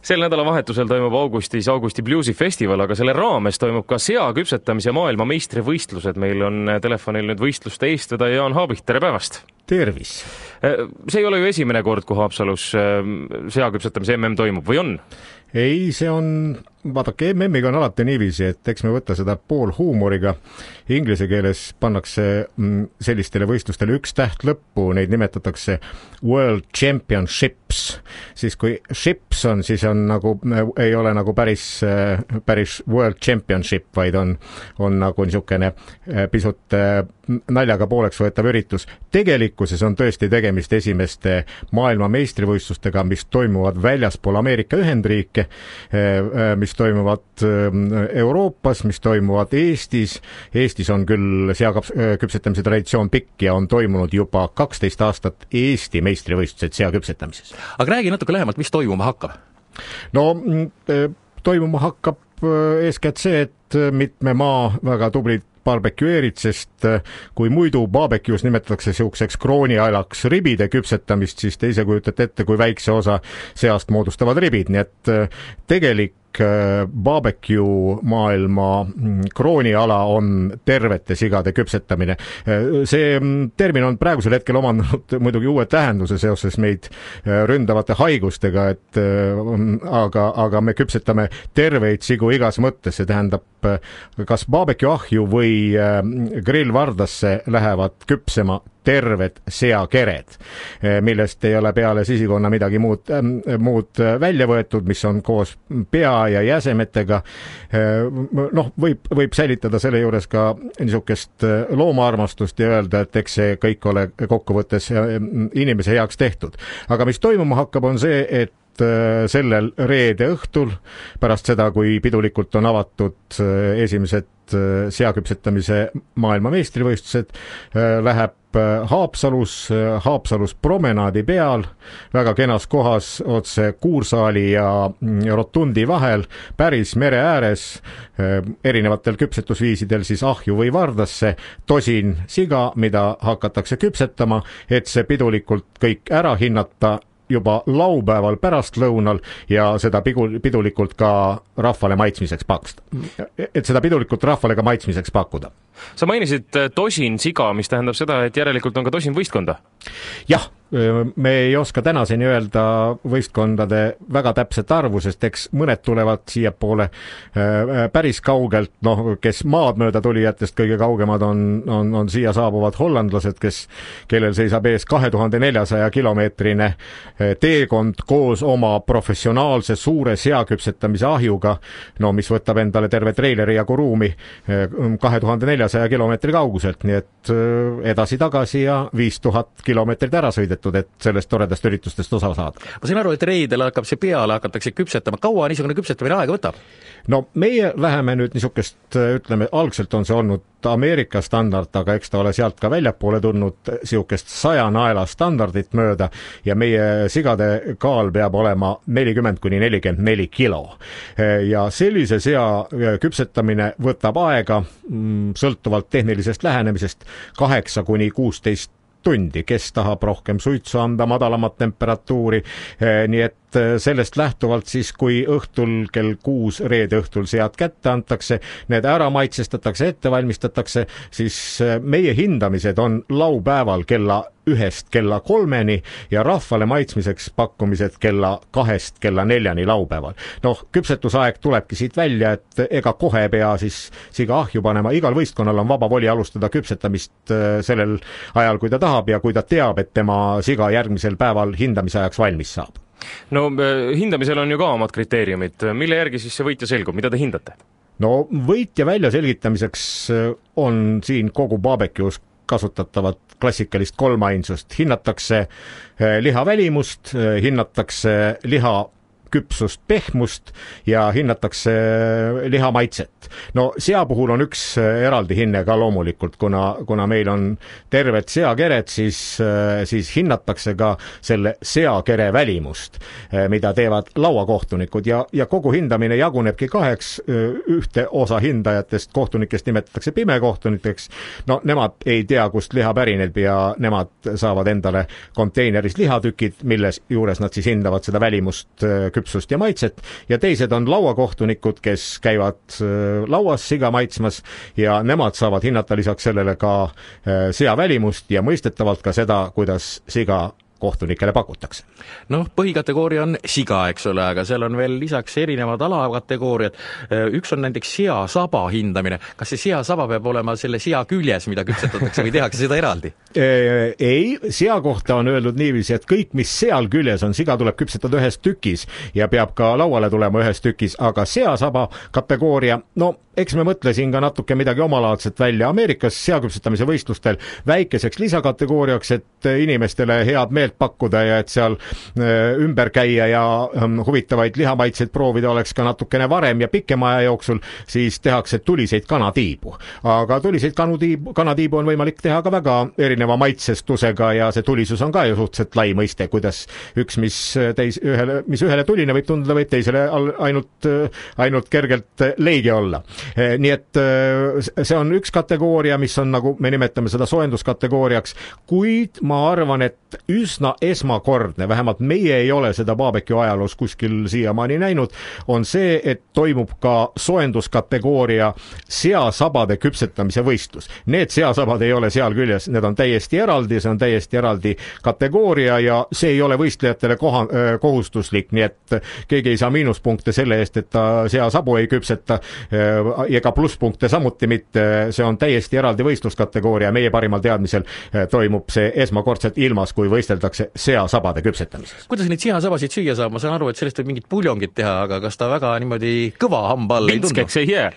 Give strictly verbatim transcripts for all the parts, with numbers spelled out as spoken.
Sel nädalavahetusel toimub augustis Augusti Bluesi festival, aga selle raames toimub ka seaküpsetamise maailma meistrivõistlused. Meil on telefonil nüüd võistluste eestvedaja Jaan Haabik, tere päevast! Tervis! See ei ole ju esimene kord, kui Haapsalus seaküpsetamise M M toimub, või on? Ei, see on, vaadake, M M-iga on alati niiviisi, et eks me võtta seda pool huumoriga. Inglise keeles pannakse sellistele võistlustele üks täht lõppu, neid nimetatakse World Championships. Siis kui ships on, siis on nagu, ei ole nagu päris, päris World Championship, vaid on, on nagu niisugune pisut naljaga pooleks võetav üritus. Tegelikkuses on tõesti tegemist esimeste maailma meistrivõistlustega, mis toimuvad väljaspool Ameerika Ühendriike, mis toimuvad Euroopas, mis toimuvad Eestis. Eestis on küll seaküpsetamise traditsioon pikk ja on toimunud juba kaksteist aastat Eesti meistrivõistlused seaküpsetamises. Aga räägi natuke lähemalt, mis toimuma hakkab? No, toimuma hakkab eeskätt see, et mitme maa väga tublid barbecueerid, sest kui muidu barbecues nimetatakse siukseks kroonialaks ribide küpsetamist, siis te ise kujutate ette, kui väikse osa seast moodustavad ribid, nii et tegelik barbecue maailma krooniala on tervete sigade küpsetamine. See termin on praegusel hetkel omandanud muidugi uue tähenduse seoses meid ründavate haigustega, et aga, aga me küpsetame terveid sigu igas mõttes, see tähendab, kas barbecue ahju või grillvardasse lähevad küpsema terved seakered, millest ei ole peale sisikonna midagi muud, muud välja võetud, mis on koos pea ja jäsemetega. Noh, võib, võib säilitada selle juures ka niisugust loomaarmastust ja öelda, et eks see kõik ole kokkuvõttes inimese heaks tehtud. Aga mis toimuma hakkab, on see, et sellel reede õhtul, pärast seda, kui pidulikult on avatud esimesed seaküpsetamise maailma meistrivõistlused, läheb Haapsalus, Haapsalus promenaadi peal, väga kenas kohas otse Kuursaali ja Rotundi vahel, päris mere ääres, erinevatel küpsetusviisidel siis ahju või vardasse, tosin siga, mida hakatakse küpsetama, et see pidulikult kõik ära hinnata juba laupäeval pärastlõunal ja seda pidulikult ka rahvale maitsmiseks paksta. Et seda pidulikult rahvale ka maitsmiseks pakkuda. Sa mainisid tosin siga, mis tähendab seda, et järelikult on ka tosin võistkonda? Jah, me ei oska tänaseni öelda võistkondade väga täpset arvu, sest eks mõned tulevad siia poole päris kaugelt, noh, kes maad mööda tulijatest kõige kaugemad on, on, on siia saabuvad hollandlased, kes, kellel seisab ees kahe tuhande neljasaja kilomeetrine teekond koos oma professionaalse suure seaküpsetamise ahjuga, no mis võtab endale terve treileri jagu ruumi kahe tuhande neljasaja kilomeetri kauguselt, nii et edasi-tagasi ja viis tuhat kilomeetrit ära sõidetud, et sellest toredast üritustest osa saada. Ma sain aru, et reidel hakkab see peale, hakatakse küpsetama. Kaua niisugune küpsetamine aega võtab? No meie läheme nüüd niisugust, ütleme, algselt on see olnud Ameerika standard, aga eks ta ole sealt ka väljapoole tulnud siukest saja naela standardit mööda ja meie sigade kaal peab olema nelikümmend kuni nelikümmend neli kilo. Ja sellise sea küpsetamine võtab aega sõltuvalt tehnilisest lähenemisest kaheksa kuni kuusteist tundi, kes tahab rohkem suitsu anda, madalamat temperatuuri, nii et sellest lähtuvalt siis, kui õhtul kell kuus reede õhtul sead kätte antakse, need ära maitsestatakse, ette valmistatakse, siis meie hindamised on laupäeval kella ühest kella kolmeni ja rahvale maitsmiseks pakkumised kella kahest kella neljani laupäeval. Noh, küpsetusaeg tulebki siit välja, et ega kohe pea siis siga ahju panema, igal võistkonnal on vaba voli alustada küpsetamist sellel ajal, kui ta tahab ja kui ta teab, et tema siga järgmisel päeval hindamise ajaks valmis saab. No hindamisel on ju ka omad kriteeriumid. Mille järgi siis see võitja selgub? Mida te hindate? No võitja välja selgitamiseks on siin kogu barbecues kasutatavat klassikalist kolmainsust. Hinnatakse liha välimust, hinnatakse liha küpsust, pehmust ja hinnatakse liha maitset. No sea puhul on üks eraldi hinne ka loomulikult, kuna, kuna meil on terved seakered, siis, siis hinnatakse ka selle seakere välimust, mida teevad lauakohtunikud ja, ja kogu hindamine jagunebki kaheks. Ühte osa hindajatest kohtunikest nimetatakse pimekohtunikeks. No nemad ei tea, kust liha pärineb ja nemad saavad endale konteineris lihatükid, milles juures nad siis hindavad seda välimust küpsust küpsust ja maitset ja teised on lauakohtunikud, kes käivad lauas siga maitsmas ja nemad saavad hinnata lisaks sellele ka sea välimust ja mõistetavalt ka seda, kuidas siga kohtunikele pakutakse. Noh, põhikategooria on siga, eks ole, aga seal on veel lisaks erinevad alakategooriad. Üks on näiteks seasaba hindamine. Kas see seasaba peab olema selle sea küljes, mida küpsetatakse või tehakse seda eraldi? Ei, sea kohta on öeldud niiviisi, et kõik, mis seal küljes on, siga tuleb küpsetada ühes tükis ja peab ka lauale tulema ühes tükis, aga seasaba kategooria, no eks me mõtlesin ka natuke midagi omalaadset välja Ameerikas seaküpsetamise võistlustel väikeseks lisakategooriaks, et inimestele head meelt pakkuda ja et seal ümber käia ja huvitavaid lihamaitseid proovida oleks ka natukene varem ja pikema aja jooksul, siis tehakse tuliseid kanatiibu. Aga tuliseid kanatiibu, kanatiibu on võimalik teha ka väga erineva maitsestusega ja see tulisus on ka ju suhteliselt lai mõiste, kuidas üks, mis, teis, ühele, mis ühele tuline võib tunduda, võib teisele ainult, ainult kergelt leige olla. Nii et see on üks kategooria, mis on, nagu me nimetame seda soojenduskategooriaks, kuid ma arvan, et üsna esmakordne, vähemalt meie ei ole seda barbecue ajaloos kuskil siiamaani näinud, on see, et toimub ka soojenduskategooria seasabade küpsetamise võistlus. Need seasabad ei ole seal küljes, need on täiesti eraldi, see on täiesti eraldi kategooria ja see ei ole võistlejatele koha, kohustuslik, nii et keegi ei saa miinuspunkte selle eest, et ta seasabu ei küpseta ja ka plusspunkte samuti mitte, see on täiesti eraldi võistluskategooria, meie parimal teadmisel toimub see esmakordselt ilmas, kui võisteldakse seasabade küpsetamises. Kuidas neid seasabasid süüa saab? Ma saan aru, et sellest võib mingit puljongit teha, aga kas ta väga niimoodi kõva hamba all ei tundu? Vintskeks ei jää.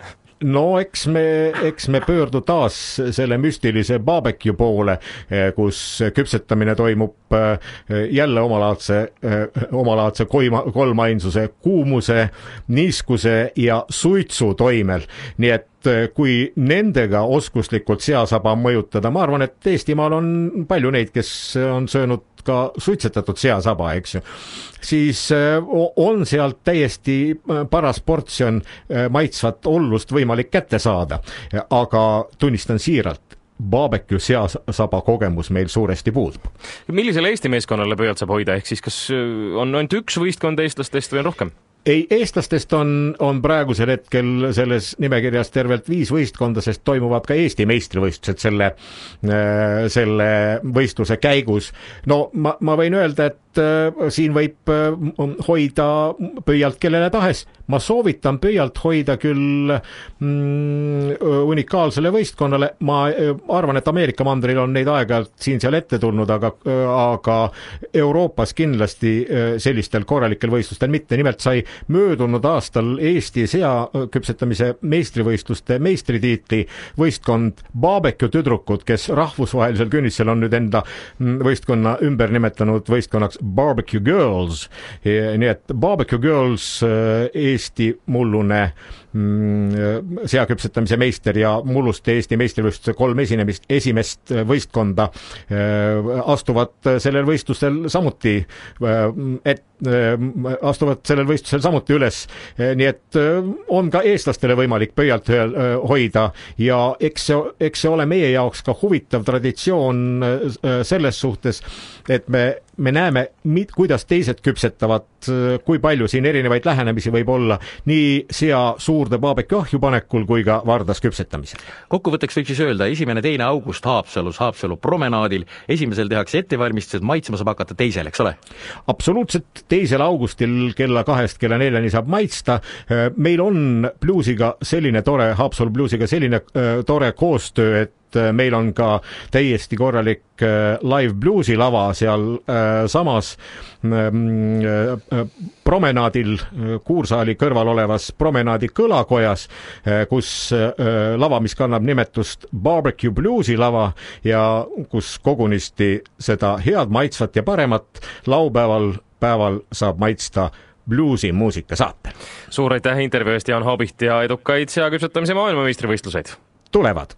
No eks me, eks me pöördu taas selle müstilise barbecue poole, kus küpsetamine toimub jälle omalaadse, omalaadse koima, kolmainsuse kuumuse, niiskuse ja suitsu toimel. Nii et kui nendega oskuslikult seasaba mõjutada, ma arvan, et Eestimaal on palju neid, kes on söönud ka suitsetatud seasaba, eks ju, siis on sealt täiesti paras portsjon maitsvat ollust võimalik kätte saada, aga tunnistan siiralt, barbecue seasaba kogemus meil suuresti puudub. Millisele Eesti meeskonnale pööalt saab hoida, ehk siis kas on ainult üks võistkond eestlastest või on rohkem? Ei, eestlastest on, on praegusel hetkel selles nimekirjas tervelt viis võistkonda, sest toimuvad ka Eesti meistrivõistlused selle, selle võistluse käigus. No ma, ma võin öelda, et siin võib hoida pöialt kellele tahes. Ma soovitan pöialt hoida küll mm, unikaalsele võistkonnale. Ma arvan, et Ameerika mandril on neid aeg-ajalt siin seal ette tulnud, aga, aga Euroopas kindlasti sellistel korralikel võistlustel mitte. Nimelt sai möödunud aastal Eesti seaküpsetamise meistrivõistluste meistritiitli võistkond barbecue tüdrukud, kes rahvusvahelisel künnisel on nüüd enda võistkonna ümber nimetanud võistkonnaks Barbecue Girls. Nii et Barbecue Girls, Eesti mullune seaküpsetamise meister ja mulluste Eesti meistrivõistluse kolm esinemist, esimest võistkonda astuvad sellel võistlusel samuti et astuvad sellel võistlusel samuti üles. Nii et on ka eestlastele võimalik pöialt hoida ja eks see, eks see ole meie jaoks ka huvitav traditsioon selles suhtes, et me, me näeme, kuidas teised küpsetavad, kui palju siin erinevaid lähenemisi võib olla nii sea suurde barbecue ahju panekul kui ka vardas küpsetamisel. Kokkuvõtteks võiks siis öelda, esimene teine august Haapsalus, Haapsalu promenaadil, esimesel tehakse ettevalmistused, maitsma saab hakata teisel, eks ole? Absoluutselt, teisel augustil kella kahest kella neljani saab maitsta. Meil on bluesiga selline tore, Haapsalu bluesiga selline tore koostöö, et meil on ka täiesti korralik live bluesi lava seal samas promenaadil, Kuursaali kõrval olevas promenaadi kõlakojas, kus lava, mis kannab nimetust Barbecue Bluesi lava ja kus kogunisti seda head maitsvat ja paremat laupäeval päeval saab maitsta bluesi muusika saatel. Suur aitäh intervjuu eest, Jaan Haabiht, ja edukaid seaküpsetamise maailmameistrivõistluseid! Tulevad!